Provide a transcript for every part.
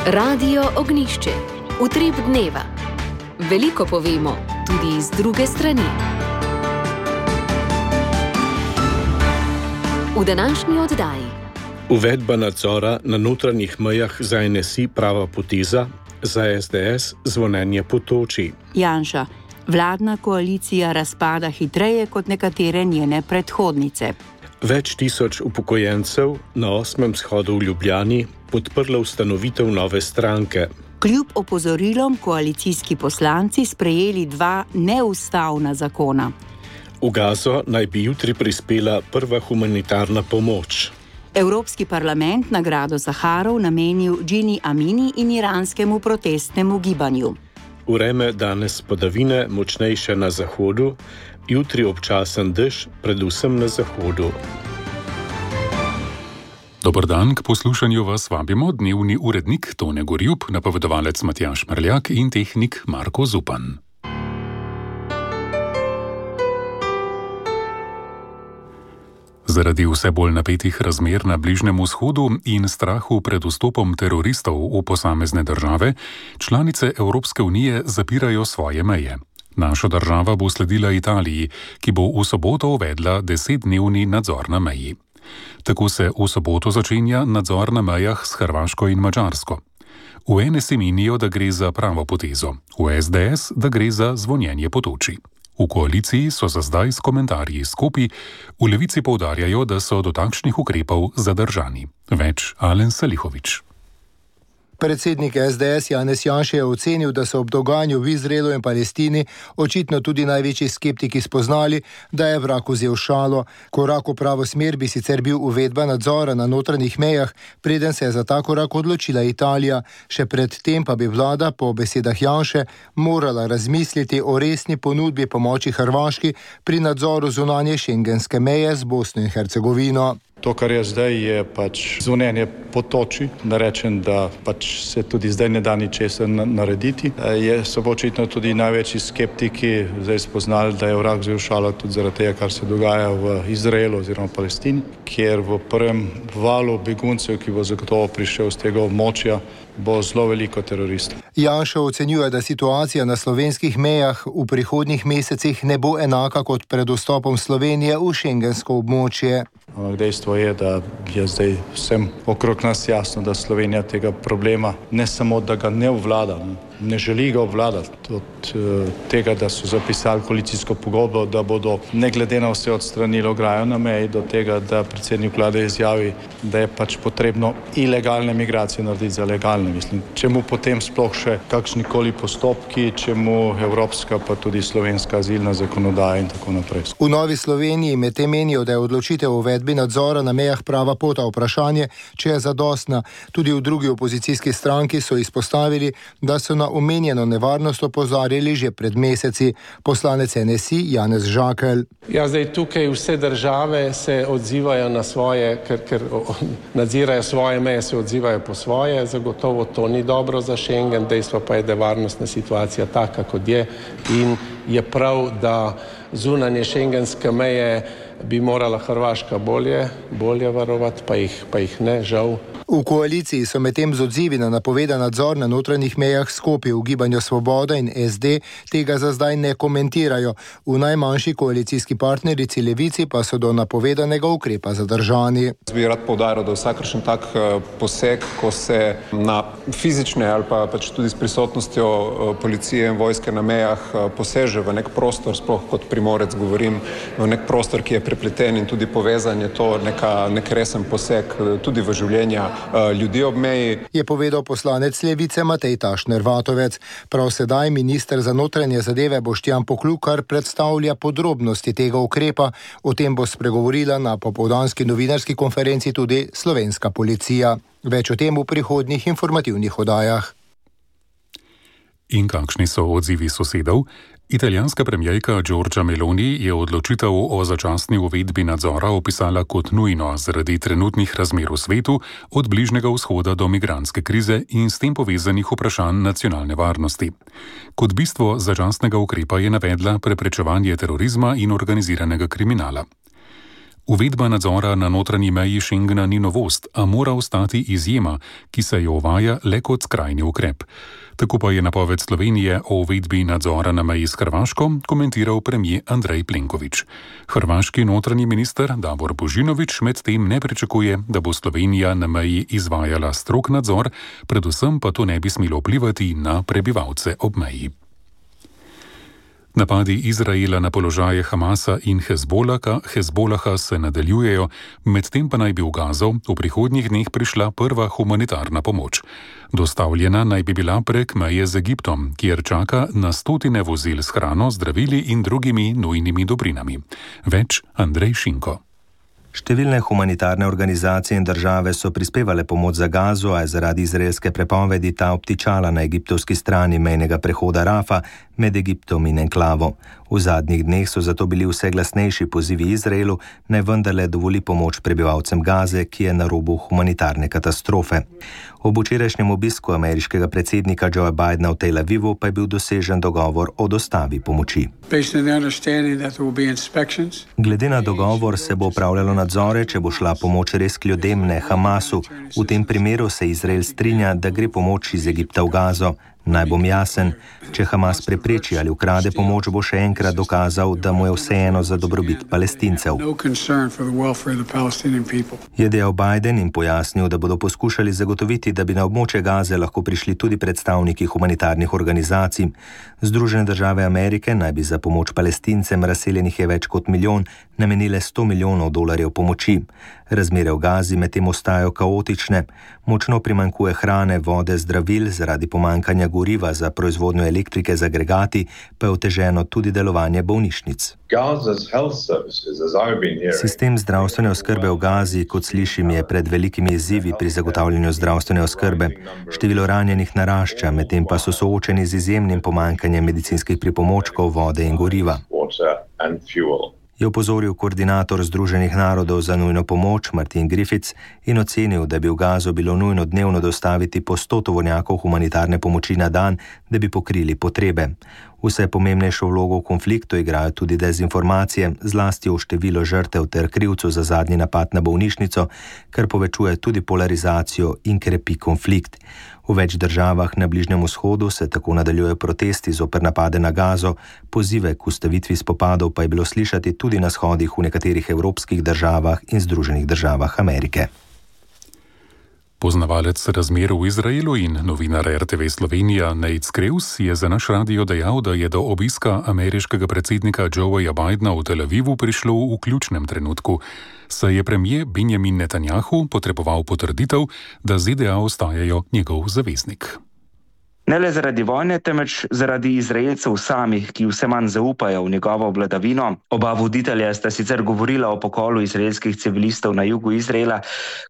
Radio Ognjišče. Utrip dneva. Veliko povemo, tudi z druge strani. V današnji oddaji. Uvedba nadzora na notranjih mejah za NSI prava poteza, za SDS zvonjenje po toči. Janša. Vladna koalicija razpada hitreje kot nekatere njene predhodnice. Več tisoč upokojencev na 8. shodu v Ljubljani podprlo ustanovitev nove stranke. Kljub opozorilom koalicijski poslanci sprejeli 2 neustavna zakona. V Gazo naj bi jutri prispela prva humanitarna pomoč. Evropski parlament nagrado Saharov namenil Džini Amini in iranskemu protestnemu gibanju. Vreme danes padavine, močnejše na zahodu, jutri občasen dež, predvsem na zahodu. Dober dan, k poslušanju vas vabimo dnevni urednik Tone Gorjup, napovedovalec Matjaž Mrljak in tehnik Marko Zupan. Zaradi vse bolj napetih razmer na Bližnjem vzhodu in strahu pred vstopom teroristov v posamezne države, članice Evropske unije zapirajo svoje meje. Naša država bo sledila Italiji, ki bo v soboto uvedla 10-dnevni nadzor na meji. Tako se v soboto začenja nadzor na mejah s Hrvaško in Madžarsko. V NSI menijo, da gre za pravo potezo, v SDS, da gre za zvonjenje po toči. V koaliciji so za zdaj s komentarji skopi, v Levici poudarjajo, da so do takšnih ukrepov zadržani. Več Alen Salihović. Predsednik SDS Janez Janša je ocenil, da so ob dogajanju v Izraelu in Palestini očitno tudi največji skeptiki spoznali, da je vrag vzel šalo. Korak v pravo smer bi sicer bil uvedba nadzora na notranjih mejah, preden se je za ta korak odločila Italija. Še pred tem pa bi vlada, po besedah Janše, morala razmisliti o resni ponudbi pomoči Hrvaški pri nadzoru zunanje šengenske meje z Bosno in Hercegovino. To, kar je zdaj, je zvonjenje po toči. Da rečem, da se tudi zdaj ne da ničesar narediti. So očitno tudi največji skeptiki zdaj spoznali, da je vrag vzel šalo tudi zaradi tega, kar se dogaja v Izraelu oziroma Palestini, kjer v prvem valu beguncev, ki bo zagotovo prišel z tega območja, bo zelo veliko teroristov. Janša ocenjuje, da situacija na slovenskih mejah v prihodnjih mesecih ne bo enaka kot pred vstopom Slovenije v šengensko območje. Dejstvo je, da je zdaj vsem okrog nas jasno, da Slovenija tega problema ne samo, da ga ne obvlada, ne želi ga obvladati. Od tega, da so zapisali koalicijsko pogodbo, da bodo ne glede na vse odstranili ograjo na meji, do tega, da predsednik vlade izjavi, da je potrebno ilegalne migracije narediti za legalne. Mislim, čemu potem sploh še kakšnikoli postopki, čemu evropska pa tudi slovenska azilna zakonodaja in tako naprej. V Novi Sloveniji medtem menijo, da je odločitev o uvedbi nadzora na mejah prava pot, vprašanje, če je zadostna. Tudi v drugi opozicijski stranki so izpostavili, da so na omenjeno nevarnost opozarjali že pred meseci. Poslanec NSI Janez Žakelj. Ja, zdaj tukaj vse države se odzivajo na svoje, ker nadzirajo svoje meje, se odzivajo po svoje. Zagotovo to ni dobro za Schengen, dejstvo pa je, da je varnostna situacija taka, kot je, in je prav, da zunanje šengenske meje bi morala Hrvaška bolje varovati, pa jih ne, žal. V koaliciji so medtem z odzivi na napovedan nadzor na notranjih mejah skopi v Gibanju Svoboda in SD tega za zdaj ne komentirajo. V najmanjši koalicijski partnerici Levici pa so do napovedanega ukrepa zadržani. Bi rad poudaril, da vsakršen tak poseg, ko se na fizične ali pa tudi s prisotnostjo policije in vojske na mejah poseže v nek prostor, sploh kot Primorec govorim, v nek prostor, ki je prepleten in tudi povezan, je to nek resen poseg tudi v življenja ljudi ob meji. Je povedal poslanec Levice Matej Tašner Vatovec. Prav sedaj minister za notranje zadeve Boštjan Poklukar predstavlja podrobnosti tega ukrepa. O tem bo spregovorila na popoldanski novinarski konferenci tudi slovenska policija. Več o tem v prihodnjih informativnih oddajah. In kakšni so odzivi sosedov? Italijanska premijerka Giorgia Meloni je odločitev o začasni uvedbi nadzora opisala kot nujno zaradi trenutnih razmer v svetu, od Bližnjega vzhoda do migrantske krize in s tem povezanih vprašanj nacionalne varnosti. Kot bistvo začasnega ukrepa je navedla preprečevanje terorizma in organiziranega kriminala. Uvedba nadzora na notranji meji Schengena ni novost, a mora ostati izjema, ki se jo uvaja le kot skrajni ukrep. Tako pa je napoved Slovenije o uvedbi nadzora na meji s Hrvaško komentiral premier Andrej Plenković. Hrvaški notranji minister Davor Božinović medtem ne pričakuje, da bo Slovenija na meji izvajala strog nadzor, predvsem pa to ne bi smelo vplivati na prebivalce ob meji. Napadi Izraela na položaje Hamasa in Hezbolaha se nadaljujejo, medtem pa naj bi v Gazo v prihodnjih dneh prišla prva humanitarna pomoč. Dostavljena naj bi bila prek meje z Egiptom, kjer čaka na stotine vozil s hrano, zdravili in drugimi nujnimi dobrinami. Več Andrej Šinko. Številne humanitarne organizacije in države so prispevale pomoč za Gazo, a je zaradi izraelske prepovedi ta obtičala na egiptovski strani mejnega prehoda Rafa med Egiptom in enklavo. V zadnjih dneh so zato bili vse glasnejši pozivi Izraelu, naj vendarle dovoli pomoč prebivalcem Gaze, ki je na robu humanitarne katastrofe. Ob včerajšnjem obisku ameriškega predsednika Joea Bidena v Tel Avivu pa je bil dosežen dogovor o dostavi pomoči. Glede na dogovor se bo opravljalo nadzore, če bo šla pomoč res k ljudem, ne Hamasu. V tem primeru se Izrael strinja, da gre pomoč iz Egipta v Gazo. Naj bom jasen, če Hamas prepreči ali ukrade pomoč, bo še enkrat dokazal, da mu je vseeno za dobrobit Palestincev. Je dejal Biden in pojasnil, da bodo poskušali zagotoviti, da bi na območje Gaze lahko prišli tudi predstavniki humanitarnih organizacij. Združene države Amerike naj bi za pomoč Palestincem, razseljenih je več kot milijon, namenile $100 milijonov pomoči. Razmere v Gazi medtem ostajajo kaotične. Močno primanjkuje hrane, vode, zdravil, zaradi pomanjkanja goriva za proizvodnjo elektrike z agregati, pa je oteženo tudi delovanje bolnišnic. Sistem zdravstvene oskrbe v Gazi, kot slišim, je pred velikimi izzivi pri zagotavljanju zdravstvene oskrbe. Število ranjenih narašča, medtem pa so soočeni z izjemnim pomanjkanjem medicinskih pripomočkov, vode in goriva. Je opozoril koordinator Združenih narodov za nujno pomoč Martin Griffiths in ocenil, da bi v Gazo bilo nujno dnevno dostaviti po 100 tovornjakov humanitarne pomoči na dan, da bi pokrili potrebe. Vse pomembnejšo vlogo v konfliktu igrajo tudi dezinformacije, zlasti o število žrtev ter krivcu za zadnji napad na bolnišnico, kar povečuje tudi polarizacijo in krepi konflikt. V več državah na Bližnjem vzhodu se tako nadaljujejo protesti zoper napade na Gazo, pozive k ustavitvi spopadov pa je bilo slišati tudi na shodih v nekaterih evropskih državah in Združenih državah Amerike. Poznavalec razmer v Izraelu in novinar RTV Slovenija Nate Skreus je za naš radio dejal, da je do obiska ameriškega predsednika Joea Bidena v Tel Avivu prišlo v ključnem trenutku, saj je premier Benjamin Netanjahu potreboval potrditev, da ZDA ostajajo njegov zaveznik. Ne le zaradi vojne, temveč zaradi Izraelcev samih, ki vse manj zaupajo v njegovo vladavino. Oba voditelja sta sicer govorila o pokolu izraelskih civilistov na jugu Izraela,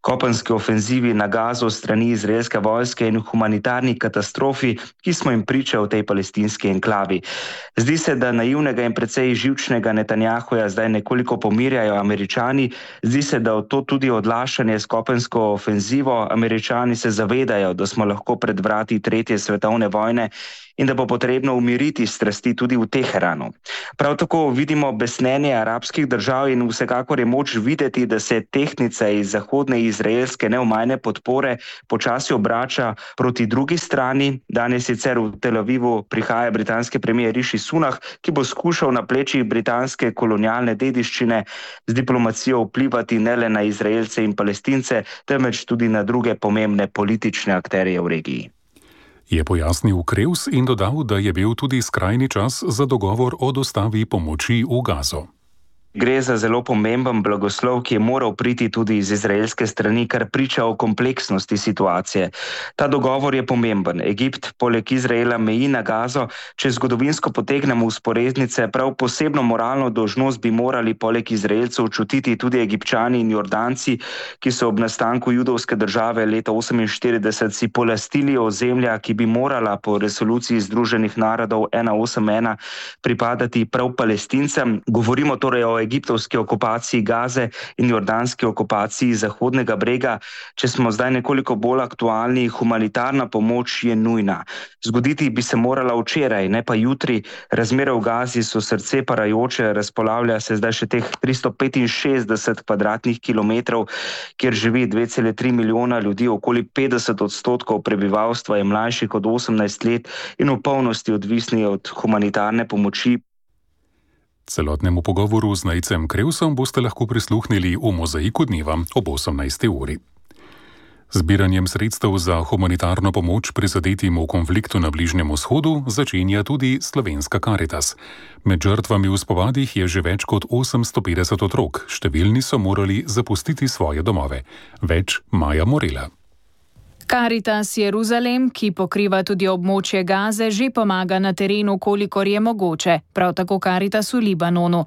kopenski ofenzivi na Gazo strani izraelske vojske in humanitarni katastrofi, ki smo jim priča v tej palestinski enklavi. Zdi se, da naivnega in precej živčnega Netanjahuja zdaj nekoliko pomirjajo Američani. Zdi se, da to tudi odlašanje s kopensko ofenzivo. Američani se zavedajo, da smo lahko pred vrati tretje svetovne vojne in da bo potrebno umiriti strasti tudi v Teheranu. Prav tako vidimo besnenje arabskih držav in vsekakor je moč videti, da se tehtnica iz zahodne izraelske neomajne podpore počasi obrača proti drugi strani. Danes sicer v Tel Avivu prihaja britanski premier Rishi Sunak, ki bo skušal na plečih britanske kolonialne dediščine z diplomacijo vplivati ne le na Izraelce in Palestince, temveč tudi na druge pomembne politične akterje v regiji. Je pojasnil Kreus in dodal, da je bil tudi skrajni čas za dogovor o dostavi pomoči v Gazo. Gre za zelo pomemben blagoslov, ki je moral priti tudi iz izraelske strani, kar priča o kompleksnosti situacije. Ta dogovor je pomemben. Egipt poleg Izraela meji na Gazo. Če zgodovinsko potegnemo vzporednice, prav posebno moralno dolžnost bi morali poleg Izraelcev čutiti tudi Egipčani in Jordanci, ki so ob nastanku judovske države leta 1948 si polastili ozemlja, ki bi morala po resoluciji Združenih narodov 181 pripadati prav Palestincem. Govorimo torej o egiptovski okupaciji Gaze in jordanski okupaciji Zahodnega brega. Če smo zdaj nekoliko bolj aktualni, humanitarna pomoč je nujna. Zgoditi bi se morala včeraj, ne pa jutri. Razmere v Gazi so srce parajoče, razpolavlja se zdaj še teh 365 kvadratnih kilometrov, kjer živi 2,3 milijona ljudi, okoli 50% prebivalstva je mlajših od 18 let in v polnosti odvisni od humanitarne pomoči. Celotnemu pogovoru z Nejcem Krevsom boste lahko prisluhnili v Mozaiku dneva ob 18. uri. Zbiranjem sredstev za humanitarno pomoč prizadetim v konfliktu na Bližnjem vzhodu začenja tudi Slovenska Karitas. Med žrtvami v spopadih je že več kot 850 otrok, številni so morali zapustiti svoje domove. Več Maja Morela. Karitas Jeruzalem, ki pokriva tudi območje Gaze, že pomaga na terenu, kolikor je mogoče, prav tako Karitas v Libanonu.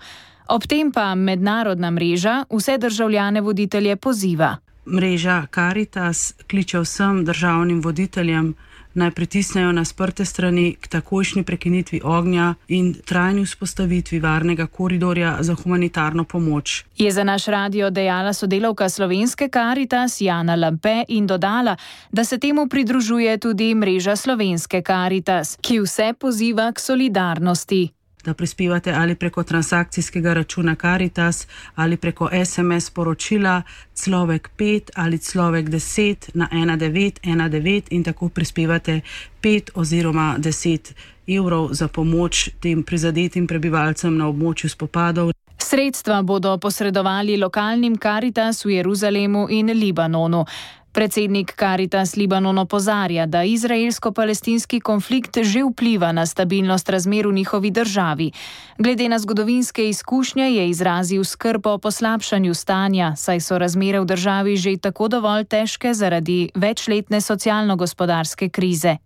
Ob tem pa mednarodna mreža vse državljane voditelje poziva. Mreža Karitas kliče vsem državnim voditeljem, naj pritisnejo na sprte strani k takojšnji prekinitvi ognja in trajni vzpostavitvi varnega koridorja za humanitarno pomoč. Je za naš radio dejala sodelavka Slovenske Karitas Jana Lampe in dodala, da se temu pridružuje tudi mreža Slovenske Karitas, ki vse poziva k solidarnosti. Da prispevate ali preko transakcijskega računa Karitas ali preko SMS sporočila človek 5 ali človek 10 na 1919 in tako prispevate 5 oziroma 10 evrov za pomoč tem prizadetim prebivalcem na območju spopadov. Sredstva bodo posredovali lokalnim Karitas v Jeruzalemu in Libanonu. Predsednik Karitas Libanon opozarja, da izraelsko-palestinski konflikt že vpliva na stabilnost razmer v njihovi državi. Glede na zgodovinske izkušnje je izrazil skrb o poslabšanju stanja, saj so razmere v državi že tako dovolj težke zaradi večletne socialno-gospodarske krize.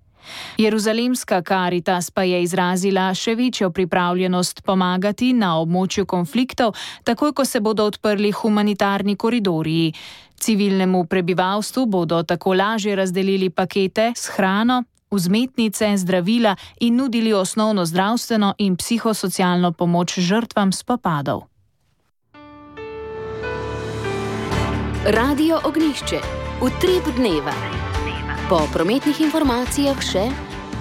Jeruzalemska Karitas pa je izrazila še večjo pripravljenost pomagati na območju konfliktov, takoj ko se bodo odprli humanitarni koridorji. Civilnemu prebivalstvu bodo tako lažje razdelili pakete s hrano, vzmetnice, zdravila in nudili osnovno zdravstveno in psihosocialno pomoč žrtvam spopadov. Radio Ognjišče. Utrip dneva. Po prometnih informacijah še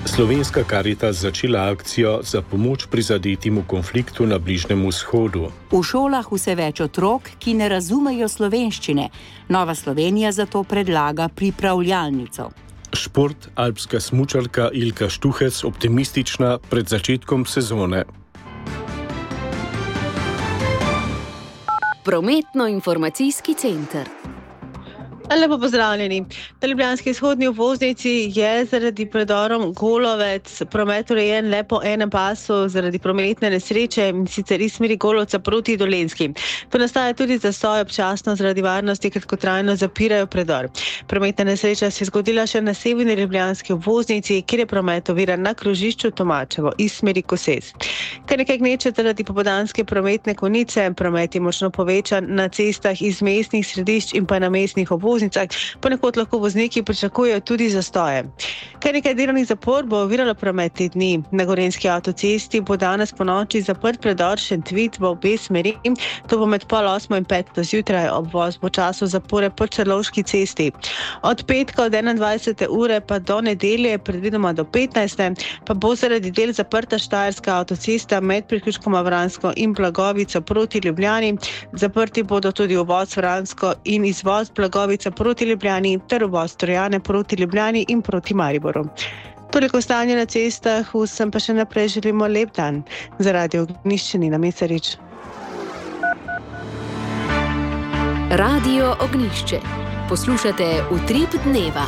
Slovenska Karitas začela akcijo za pomoč prizadetim v konfliktu na Bližnjem vzhodu. V šolah vse več otrok, ki ne razumejo slovenščine. Nova Slovenija zato predlaga pripravljalnico. Šport, alpska smučarka Ilka Štuhec optimistična pred začetkom sezone. Prometno-informacijski center. Lepo pozdravljeni. Na ljubljanski izhodni obvoznici je zaradi predorov Golovec promet urejen le po enem pasu zaradi prometne nesreče, in sicer iz smeri Golovca proti Dolenjski. Pa nastaja tudi zastoj občasno zaradi varnosti, kratkotrajno zapirajo predor. Prometna nesreča se je zgodila še na severni ljubljanski obvoznici, kjer je promet oviran na krožišču Tomačevo iz smeri Koses. Kar nekaj gneče zaradi popoldanske prometne konice, promet je močno povečan na cestah iz mestnih središč in pa na mestnih obvoznicah. Ponekod lahko vozniki pričakujejo tudi zastoje. Kar nekaj delovnih zapor bo oviralo promet te dni. Na Gorenjski avtocesti bo danes ponoči zaprt predor Šentvid v obe smeri. To bo med 7:30 in 5:00 zjutraj. Obvoz bo času zapore po Črlovški cesti. Od petka od 21. ure pa do nedelje, predvidoma do 15. pa bo zaradi del zaprta Štajerska avtocesta med priključkoma Vransko in Blagovico proti Ljubljani. Zaprti bodo tudi uvoz Vransko in izvoz Blagovica proti Ljubljani ter uvoz Trojane proti Ljubljani in proti Mariboru. Toliko stanje na cestah, vsem pa še naprej želimo lep dan. Za Radio Ognjišče Nina Mesarič. Radio Ognjišče. Poslušate Utrip dneva.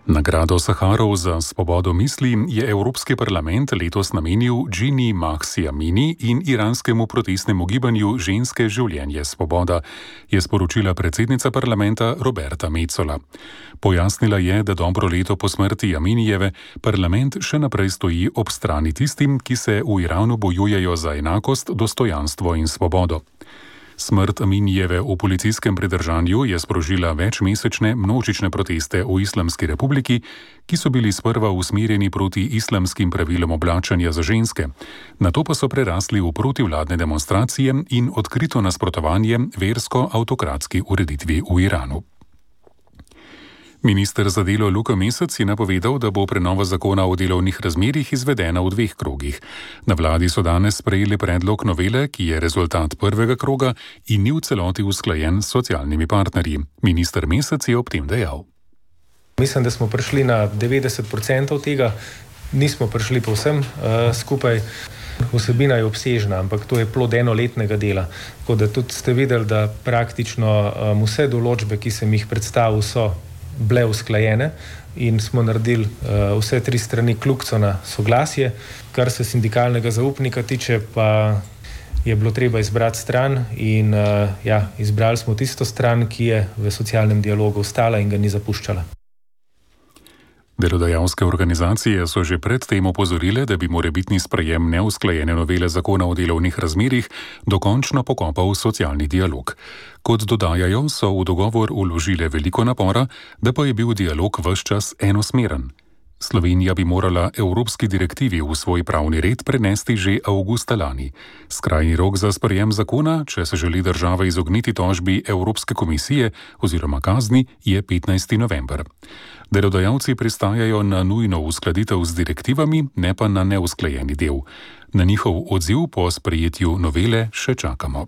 Nagrado Saharov za svobodo misli je Evropski parlament letos namenil Džini Mahsi Amini in iranskemu protestnemu gibanju Ženske življenje svoboda, je sporočila predsednica parlamenta Roberta Metsola. Pojasnila je, da dobro leto po smrti Aminijeve parlament še naprej stoji ob strani tistim, ki se v Iranu bojujejo za enakost, dostojanstvo in svobodo. Smrt Aminijeve v policijskem pridržanju je sprožila večmesečne množične proteste v Islamski republiki, ki so bili sprva usmerjeni proti islamskim pravilom oblačenja za ženske. Nato pa so prerasli v protivladne demonstracije in odkrito nasprotovanje versko-avtokratski ureditvi v Iranu. Minister za delo Luka Mesec je napovedal, da bo prenova zakona o delovnih razmerjih izvedena v 2 krogih. Na vladi so danes sprejeli predlog novele, ki je rezultat prvega kroga in ni v celoti usklajen s socialnimi partnerji. Minister Mesec je ob tem dejal. Mislim, da smo prišli na 90% tega, nismo prišli povsem skupaj. Vsebina je obsežna, ampak to je plod enoletnega dela. Tako da tudi ste videli, da praktično vse določbe, ki sem jih predstavil, so bile usklajene in smo naredili vse 3 strani kljukco na soglasje. Kar se sindikalnega zaupnika tiče, pa je bilo treba izbrati stran in izbrali smo tisto stran, ki je v socialnem dialogu ostala in ga ni zapuščala. Delodajalske organizacije so že predtem opozorile, da bi morebitni sprejem neusklajene novele zakona o delovnih razmerjih dokončno pokopal socialni dialog. Kot dodajajo, so v dogovor vložile veliko napora, da pa je bil dialog ves čas enosmeren. Slovenija bi morala evropski direktivi v svoj pravni red prenesti že avgusta lani. Skrajni rok za sprejem zakona, če se želi država izogniti tožbi Evropske komisije oziroma kazni, je 15. november. Delodajalci pristajajo na nujno uskladitev z direktivami, ne pa na neusklajeni del. Na njihov odziv po sprejetju novele še čakamo.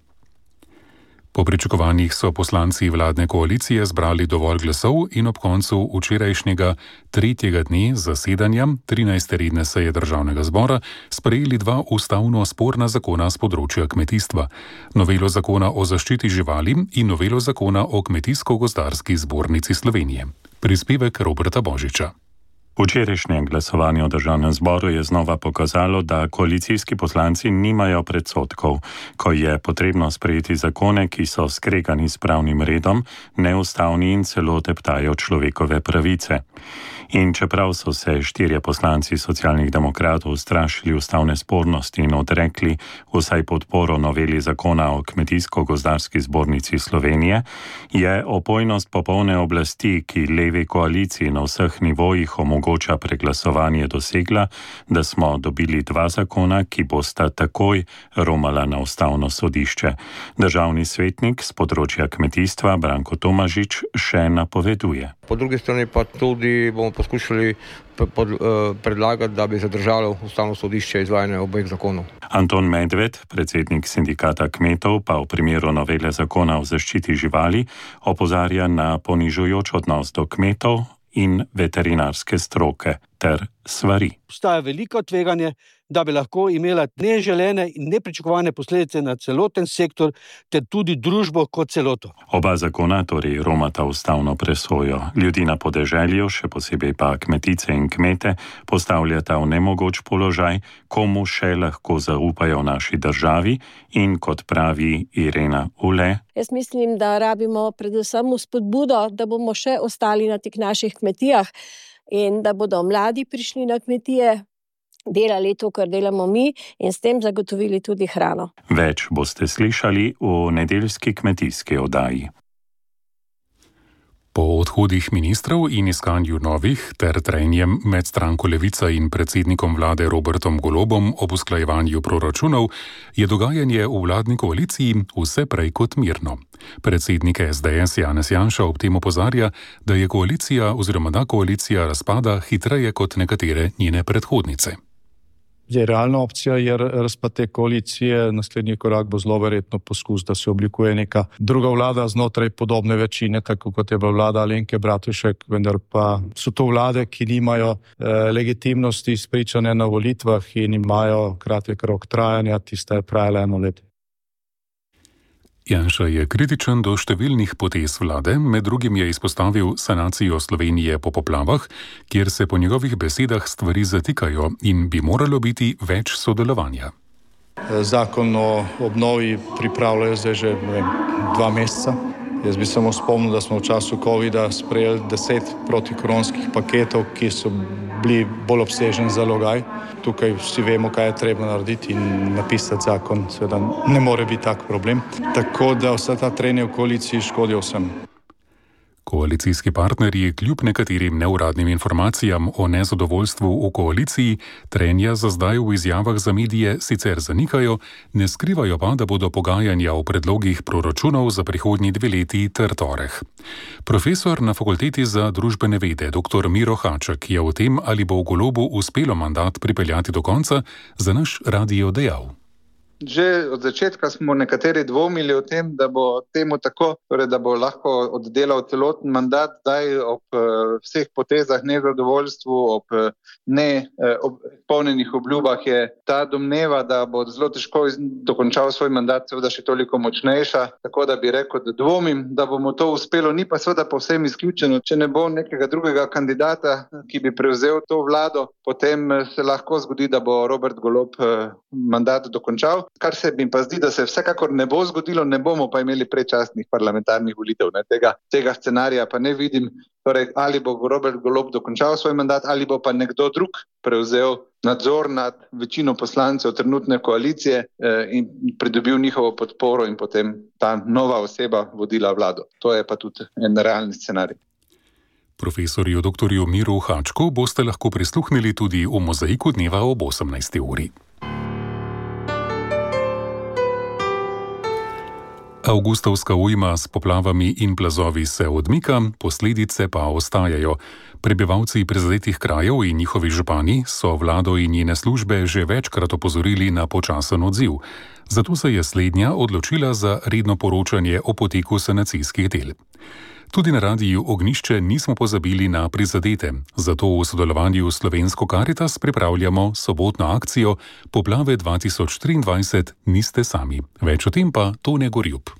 Po pričakovanjih so poslanci vladne koalicije zbrali dovolj glasov in ob koncu včerajšnjega 3. dne zasedanja 13. redne seje Državnega zbora sprejeli 2 ustavno sporna zakona z področja kmetijstva. Novelo zakona o zaščiti živali in novelo zakona o Kmetijsko-gozdarski zbornici Slovenije. Prispevek Roberta Božiča. Včerajšnje glasovanje v Državnem zboru je znova pokazalo, da koalicijski poslanci nimajo predsodkov, ko je potrebno sprejeti zakone, ki so skregani s pravnim redom, neustavni in celo teptajo človekove pravice. In čeprav so se 4 poslanci Socialnih demokratov strašili ustavne spornosti in odrekli vsaj podporo noveli zakona o Kmetijsko-gozdarski zbornici Slovenije, je opojnost popolne oblasti, ki levi koaliciji na vseh nivojih omogoča preglasovanje, dosegla, da smo dobili 2 zakona, ki bosta takoj romala na ustavno sodišče. Državni svetnik z področja kmetijstva Branko Tomažič še napoveduje. Po drugi strani pa tudi bomo poskušali predlagati, da bi zadržalo ustavno sodišče izvajanje obeh zakonov. Anton Medved, predsednik sindikata kmetov, pa v primeru novele zakona o zaščiti živali opozarja na ponižujoč odnos do kmetov in veterinarske stroke ter svari. Obstaja veliko tveganje, da bi lahko imela neželene in nepričakovane posledice na celoten sektor ter tudi družbo kot celoto. Oba zakona torej romata ustavno presojo. Ljudi na podeželju, še posebej pa kmetice in kmete, postavljata v nemogoč položaj, komu še lahko zaupajo v naši državi in, kot pravi Irena Ule, jaz mislim, da rabimo predvsem spodbudo, da bomo še ostali na teh naših kmetijah in da bodo mladi prišli na kmetije, delali to, kar delamo mi in s tem zagotovili tudi hrano. Več boste slišali v nedeljski kmetijski oddaji. Po odhodih ministrov in iskanju novih ter trenjem med stranko Levica in predsednikom vlade Robertom Golobom ob usklajevanju proračunov je dogajanje v vladni koaliciji vse prej kot mirno. Predsednik SDS Janez Janša ob tem opozarja, da je koalicija oziroma da koalicija razpada hitreje kot nekatere njene predhodnice. Realna opcija je razpad te koalicije, naslednji korak bo zelo verjetno poskus, da se oblikuje neka druga vlada znotraj podobne večine, tako kot je bila vlada Alenke Bratušek, vendar pa so to vlade, ki nimajo legitimnosti izpričane na volitvah in imajo kratek rok trajanja, tista je trajala 1 leto. Janša je kritičen do številnih potez vlade, med drugim je izpostavil sanacijo Slovenije po poplavah, kjer se po njegovih besedah stvari zatikajo in bi moralo biti več sodelovanja. Zakon o obnovi pripravljajo zdaj že 2 meseca. Jaz bi samo spomnil, da smo v času covida sprejeli 10 protikoronskih paketov, ki so bili bolj obsežen zalogaj. Tukaj vsi vemo, kaj je treba narediti in napisati zakon, seveda ne more biti tak problem. Tako da vsa ta trenja v koaliciji škodijo vsem. Koalicijski partnerji kljub nekaterim neuradnim informacijam o nezadovoljstvu v koaliciji trenja za zdaj v izjavah za medije sicer zanikajo, ne skrivajo pa, da bodo pogajanja o predlogih proračunov za prihodnji 2 leti ter torek. Profesor na Fakulteti za družbene vede dr. Miro Haček je o tem, ali bo Golobu uspelo mandat pripeljati do konca, za naš radio dejal. Že od začetka smo nekateri dvomili o tem, da bo temu tako, torej da bo lahko oddelal celoten mandat, daj ob vseh potezah, nezadovoljstvu, ob neizpolnjenih obljubah je ta domneva, da bo zelo težko dokončal svoj mandat, seveda še toliko močnejša, tako da bi rekel, da dvomim, da bomo to uspelo, ni pa seveda povsem izključeno, če ne bo nekega drugega kandidata, ki bi prevzel to vlado, potem se lahko zgodi, da bo Robert Golob mandat dokončal. Kar se mi pa zdi, da se vsekakor ne bo zgodilo, ne bomo pa imeli predčasnih parlamentarnih volitev. Tega scenarija pa ne vidim. Torej, ali bo Robert Golob dokončal svoj mandat, ali bo pa nekdo drug prevzel nadzor nad večino poslancev trenutne koalicije in pridobil njihovo podporo in potem ta nova oseba vodila vlado. To je pa tudi en realni scenarij. Profesorju dr. Miru Hačku boste lahko prisluhnili tudi v Mozaiku dneva ob 18. uri. Avgustovska ujma s poplavami in plazovi se odmika, posledice pa ostajajo. Prebivalci prizadetih krajev in njihovi župani so vlado in njene službe že večkrat opozorili na počasen odziv. Zato se je slednja odločila za redno poročanje o poteku sanacijskih del. Tudi na radiju Ognjišče nismo pozabili na prizadete, zato v sodelovanju s Slovensko Karitas pripravljamo sobotno akcijo Poplave 2023 niste sami. Več o tem pa Tone Gorjup.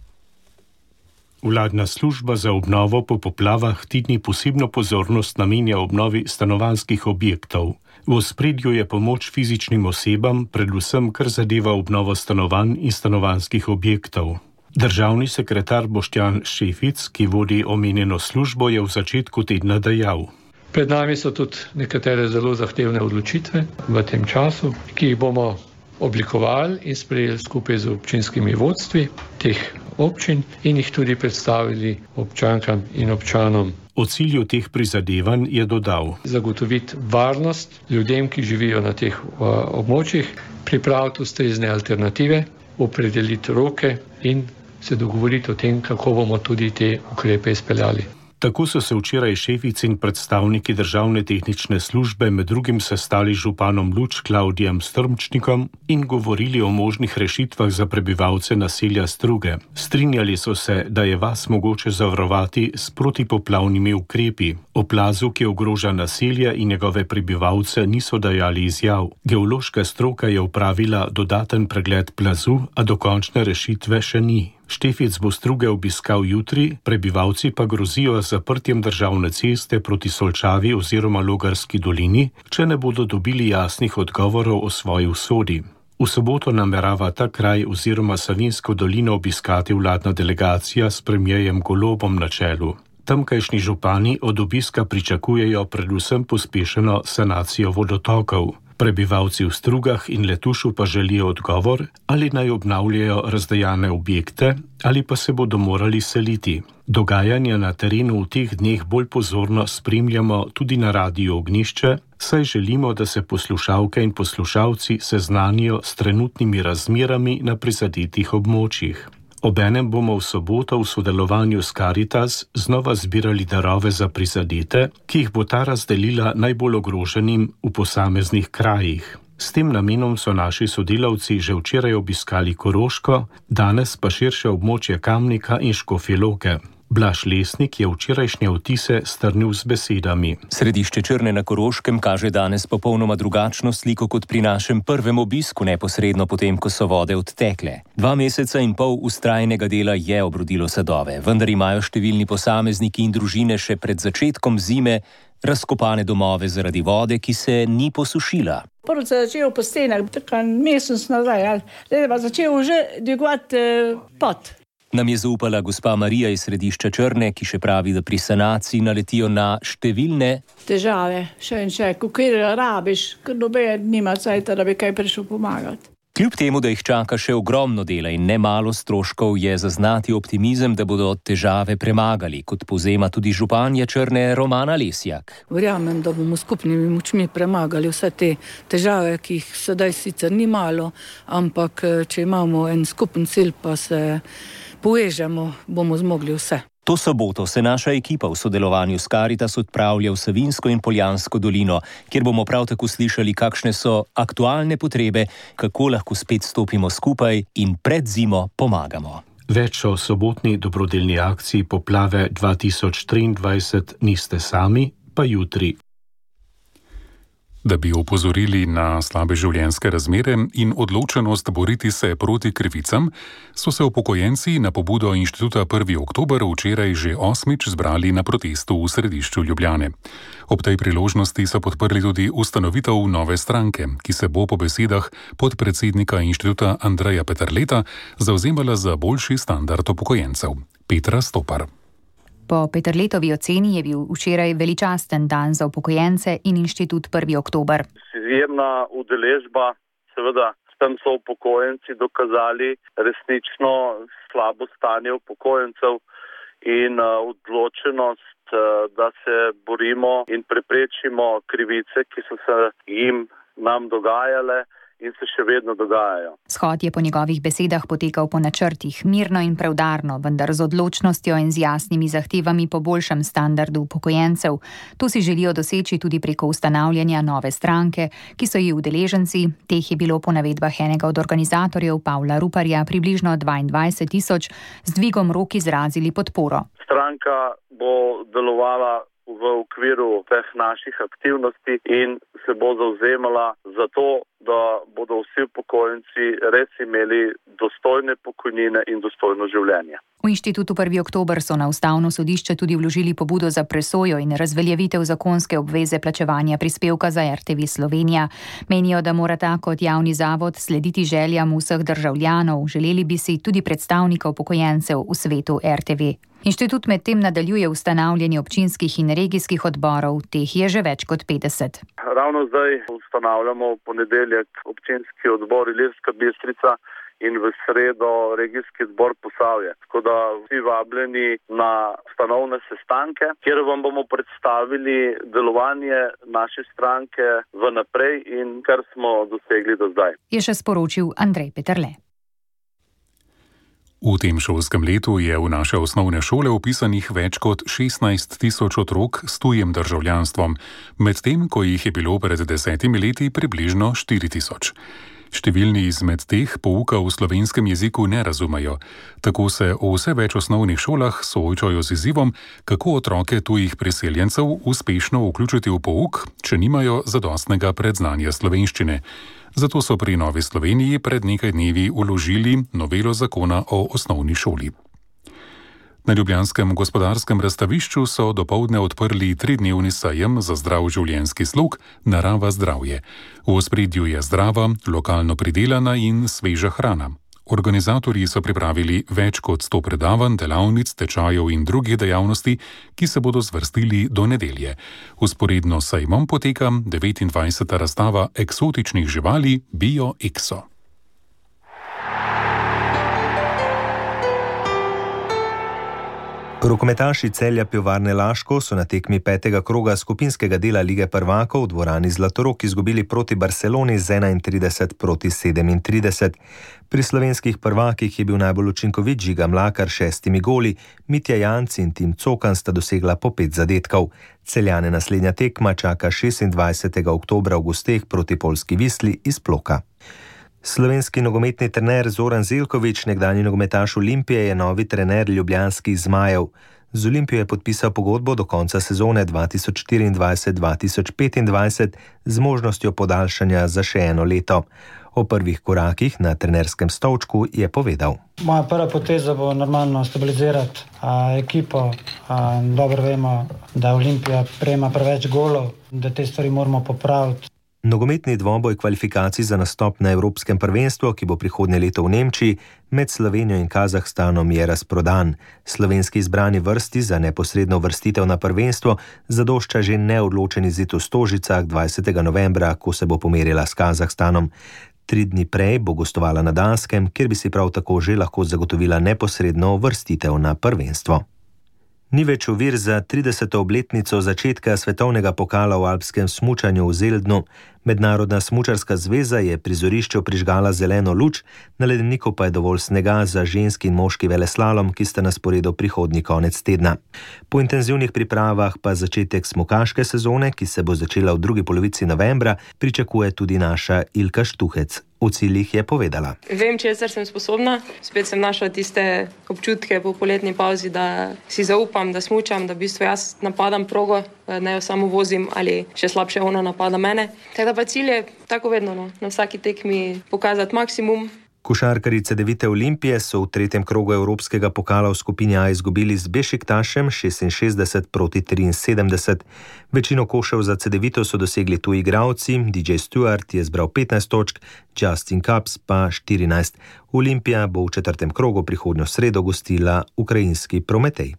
Vladna služba za obnovo po poplavah ti dni posebno pozornost namenja obnovi stanovanjskih objektov. V ospredju je pomoč fizičnim osebam, predvsem kar zadeva obnovo stanovanj in stanovanjskih objektov. Državni sekretar Boštjan Šefic, ki vodi omenjeno službo, je v začetku tedna dejal. Pred nami so tudi nekatere zelo zahtevne odločitve v tem času, ki jih bomo oblikovali in sprejeli skupaj z občinskimi vodstvi teh občin in jih tudi predstavili občankam in občanom. O cilju teh prizadevanj je dodal. Zagotoviti varnost ljudem, ki živijo na teh območjih, pripraviti ustrezne alternative, opredeliti roke in se dogovoriti o tem, kako bomo tudi te ukrepe izpeljali. Tako so se včeraj Šefic in predstavniki državne tehnične službe med drugim sestali z županom Luč Klavdijem Strmčnikom in govorili o možnih rešitvah za prebivalce naselja Struge. Strinjali so se, da je vas mogoče zavarovati s protipoplavnimi ukrepi. O plazu, ki ogroža naselje in njegove prebivalce, niso dajali izjav. Geološka stroka je opravila dodaten pregled plazu, a dokončne rešitve še ni. Štefic bo Struge obiskal jutri, prebivalci pa grozijo z zaprtjem državne ceste proti Solčavi oziroma Logarski dolini, če ne bodo dobili jasnih odgovorov o svoji usodi. V soboto namerava ta kraj oziroma Savinjsko dolino obiskati vladna delegacija s premierjem Golobom na čelu. Tamkajšnji župani od obiska pričakujejo predvsem pospešeno sanacijo vodotokov. Prebivalci v Strugah in Letušu pa želijo odgovor, ali naj obnavljajo razdejane objekte ali pa se bodo morali seliti. Dogajanja na terenu v teh dneh bolj pozorno spremljamo tudi na radiju Ognjišče, saj želimo, da se poslušalke in poslušalci seznanijo s trenutnimi razmerami na prizadetih območjih. Obenem bomo v soboto v sodelovanju s Karitas znova zbirali darove za prizadete, ki jih bo ta razdelila najbolj ogroženim v posameznih krajih. S tem namenom so naši sodelavci že včeraj obiskali Koroško, danes pa širše območje Kamnika in Škofje Loke. Blaž Lesnik je včerajšnje vtise strnil z besedami. Središče Črne na Koroškem kaže danes popolnoma drugačno sliko kot pri našem prvem obisku neposredno potem, ko so vode odtekle. 2 meseca in pol vztrajnega dela je obrodilo sadove, vendar imajo številni posamezniki in družine še pred začetkom zime razkopane domove zaradi vode, ki se ni posušila. Prvo se je začelo po stenah, tako mesec nazaj, zdaj pa začel že dvigovati pot. Nam je zaupala gospa Marija iz središča Črne, ki še pravi, da pri sanaciji naletijo na številne težave. Še in še, kjer rabiš, ker noben nima cajta, da bi kaj prišel pomagati. Kljub temu, da jih čaka še ogromno dela in nemalo stroškov, je zaznati optimizem, da bodo težave premagali, kot povzema tudi županja Črne Romana Lesjak. Verjamem, da bomo skupnimi močmi premagali vse te težave, ki jih sedaj sicer ni malo, ampak če imamo en skupen cilj, pa se povežemo, bomo zmogli vse. To soboto se naša ekipa v sodelovanju s Karitas odpravlja v Savinjsko in Poljansko dolino, kjer bomo prav tako slišali, kakšne so aktualne potrebe, kako lahko spet stopimo skupaj in pred zimo pomagamo. Več o sobotni dobrodelni akciji Poplave 2023 niste sami, pa jutri. Da bi opozorili na slabe življenjske razmere in odločenost boriti se proti krivicam, so se upokojenci na pobudo Inštituta 1. oktober včeraj že 8. zbrali na protestu v središču Ljubljane. Ob tej priložnosti so podprli tudi ustanovitev nove stranke, ki se bo po besedah podpredsednika inštituta Andreja Peterleta zavzemala za boljši standard upokojencev. Petra Stopar. Po Peterletovi oceni je bil včeraj veličasten dan za upokojence in Inštitut 1. oktober. Izjemna udeležba, seveda s tem so upokojenci dokazali resnično slabo stanje upokojencev in odločenost, da se borimo in preprečimo krivice, ki so se nam dogajale in se še vedno dogajajo. Shod je po njegovih besedah potekal po načrtih, mirno in preudarno, vendar z odločnostjo in z jasnimi zahtevami po boljšem standardu upokojencev. To si želijo doseči tudi preko ustanavljanja nove stranke, ki so ji udeleženci, teh je bilo po navedbah enega od organizatorjev Pavla Ruparja približno 22.000, z dvigom rok izrazili podporo. Stranka bo delovala v okviru teh naših aktivnosti in se bo zavzemala za to, da bodo vsi upokojenci res imeli dostojne pokojnine in dostojno življenje. V Inštitutu 1. oktober so na Ustavno sodišče tudi vložili pobudo za presojo in razveljavitev zakonske obveze plačevanja prispevka za RTV Slovenija. Menijo, da mora ta kot javni zavod slediti željam vseh državljanov, želeli bi si tudi predstavnikov upokojencev v svetu RTV. Inštitut medtem nadaljuje ustanavljanje občinskih in regijskih odborov, teh je že več kot 50. Ravno zdaj ustanavljamo v ponedeljek občinski odbor Ilirska Bistrica in v sredo regijski odbor Posavje. Tako da vsi vabljeni na ustanovne sestanke, kjer vam bomo predstavili delovanje naše stranke vnaprej in kar smo dosegli do zdaj. Je še sporočil Andrej Peterle. V tem šolskem letu je v naše osnovne šole vpisanih več kot 16.000 otrok s tujim državljanstvom, medtem ko jih je bilo pred 10 leti približno 4.000. Številni izmed teh pouka v slovenskem jeziku ne razumejo. Tako se v vse več osnovnih šolah soočajo z izzivom, kako otroke tujih priseljencev uspešno vključiti v pouk, če nimajo zadostnega predznanja slovenščine. Zato so pri Novi Sloveniji pred nekaj dnevi vložili novelo zakona o osnovni šoli. Na ljubljanskem gospodarskem razstavišču so dopoldne odprli 3-dnevni sejem za zdrav življenjski slog Narava zdravje. V ospredju je zdrava, lokalno pridelana in sveža hrana. Organizatorji so pripravili več kot 100 predavanj, delavnic, tečajev in drugih dejavnosti, ki se bodo zvrstili do nedelje. Vzporedno s sejmom poteka 29. razstava eksotičnih živali Bio Exo. Rokometaši Celja Pivovarne Laško so na tekmi 5. kroga skupinskega dela Lige prvakov v dvorani Zlatorog izgubili proti Barceloni z 31-37. Pri slovenskih prvakih je bil najbolj učinkovit Žiga Mlakar 6 goli, Mitja Janc in Tim Cokan sta dosegla po 5 zadetkov. Celjane naslednja tekma čaka 26. oktobra v gosteh proti Poljski Visli iz Ploka. Slovenski nogometni trener Zoran Zelković, nekdanji nogometaš Olimpije, je novi trener ljubljanskih Zmajev. Z Olimpijo je podpisal pogodbo do konca sezone 2024-2025 z možnostjo podaljšanja za še 1 leto. O prvih korakih na trenerskem stolčku je povedal. Moja prva poteza bo normalno stabilizirati ekipo. Dobro vemo, da Olimpija prejema preveč golov, da te stvari moramo popraviti. Nogometni dvoboj kvalifikacij za nastop na Evropskem prvenstvu, ki bo prihodnje leto v Nemčiji, med Slovenijo in Kazahstanom je razprodan. Slovenski izbrani vrsti za neposredno uvrstitev na prvenstvo zadošča že neodločen izid v Stožicah 20. novembra, ko se bo pomerila s Kazahstanom. 3 dni prej bo gostovala na Danskem, kjer bi si prav tako že lahko zagotovila neposredno uvrstitev na prvenstvo. Ni več ovir za 30. obletnico začetka svetovnega pokala v alpskem smučanju v Zeldnu. Mednarodna smučarska zveza je prizorišču prižgala zeleno luč, na ledeniku pa je dovolj snega za ženski in moški veleslalom, ki sta na sporedu prihodnji konec tedna. Po intenzivnih pripravah pa začetek smukaške sezone, ki se bo začela v drugi polovici novembra, pričakuje tudi naša Ilka Štuhec. V ciljih je povedala: Vem, česar sem sposobna. Spet sem našla tiste občutke po poletni pauzi, da si zaupam, da smučam, da v bistvu jaz napadam progo, ne jo samo vozim ali še slabše ona napada mene. Tako da pa cilj je tako vedno, na vsaki tekmi pokazati maksimum. Košarkarice Devite Olimpije so v 3. krogu Evropskega pokala v skupini A izgubili z Bešiktašem 66-73. Večino košev za Cedevito so dosegli tuji igralci, DJ Stewart je zbral 15 točk, Justin Cups pa 14. Olimpija bo v 4. krogu prihodnjo sredo gostila ukrajinski Prometej.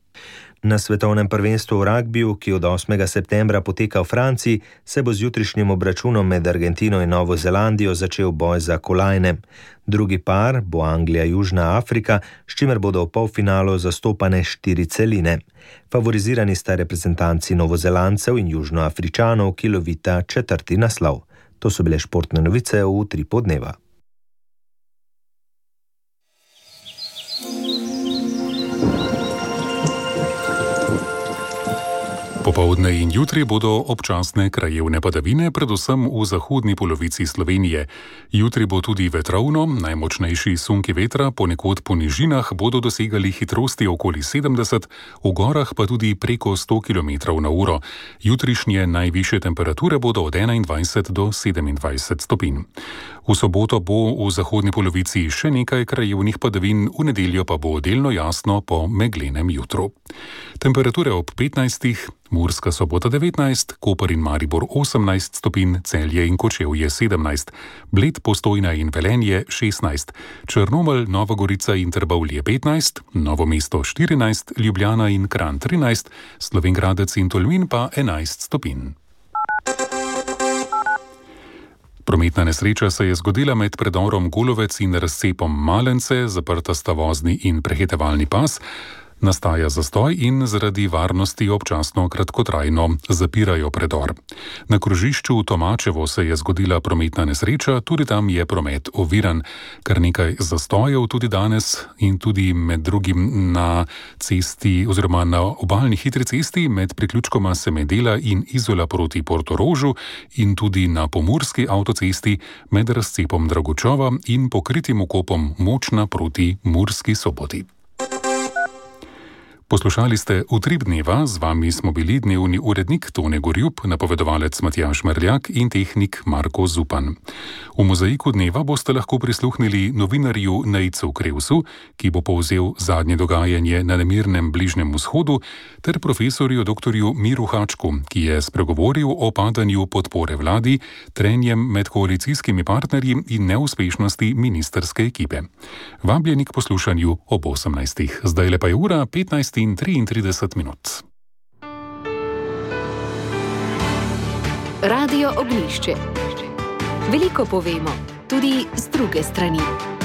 Na svetovnem prvenstvu v ragbiju, ki od 8. septembra poteka v Franciji, se bo z jutrišnjim obračunom med Argentino in Novo Zelandijo začel boj za kolajne. Drugi par bo Anglija-Južna Afrika, s čimer bodo v polfinalu zastopane 4 celine. Favorizirani sta reprezentanci Novozelancev in Južnoafričanov, ki lovita 4. naslov. To so bile športne novice v Utripu dneva. Popoldne in jutri bodo občasne krajevne padavine, predvsem v zahodni polovici Slovenije. Jutri bo tudi vetrovno, najmočnejši sunki vetra ponekod po nižinah bodo dosegali hitrosti okoli 70, v gorah pa tudi preko 100 km/h. Jutrišnje najvišje temperature bodo od 21 do 27 stopinj. V soboto bo v zahodni polovici še nekaj krajevnih padavin, v nedeljo pa bo delno jasno po meglenem jutru. Temperature ob 15, Murska Sobota 19, Koper in Maribor 18 stopinj, Celje in Kočevje 17, Bled, Postojna in Velenje 16, Črnomelj, Nova Gorica in Trbovlje 15, Novo mesto 14, Ljubljana in Kranj 13, Slovenj Gradec in Tolmin pa 11 stopinj. Prometna nesreča se je zgodila med predorom Golovec in razcepom Malence, zaprta sta vozni in prehitevalni pas. Nastaja zastoj in zaradi varnosti občasno kratkotrajno zapirajo predor. Na krožišču v Tomačevo se je zgodila prometna nesreča, tudi tam je promet oviran. Kar nekaj zastojev tudi danes in tudi med drugim na cesti oziroma na obalni hitri cesti med priključkoma Semedela in Izola proti Portorožu in tudi na pomurski avtocesti med razcepom Dragočova in pokritim okopom Močna proti Murski Soboti. Poslušali ste Utrip dneva, z vami smo bili dnevni urednik Tone Gorjup, napovedovalec Matjaž Merljak in tehnik Marko Zupan. V mozaiku dneva boste lahko prisluhnili novinarju Nejcu Krevsu, ki bo povzel zadnje dogajanje na nemirnem Bližnjem vzhodu, ter profesorju dr. Miru Hačku, ki je spregovoril o padanju podpore vladi, trenjem med koalicijskimi partnerji in neuspešnosti ministerske ekipe. Vabljeni k poslušanju ob 18. Zdaj pa je ura 15:33. Radio Oglišče. Veliko povemo, tudi z druge strani.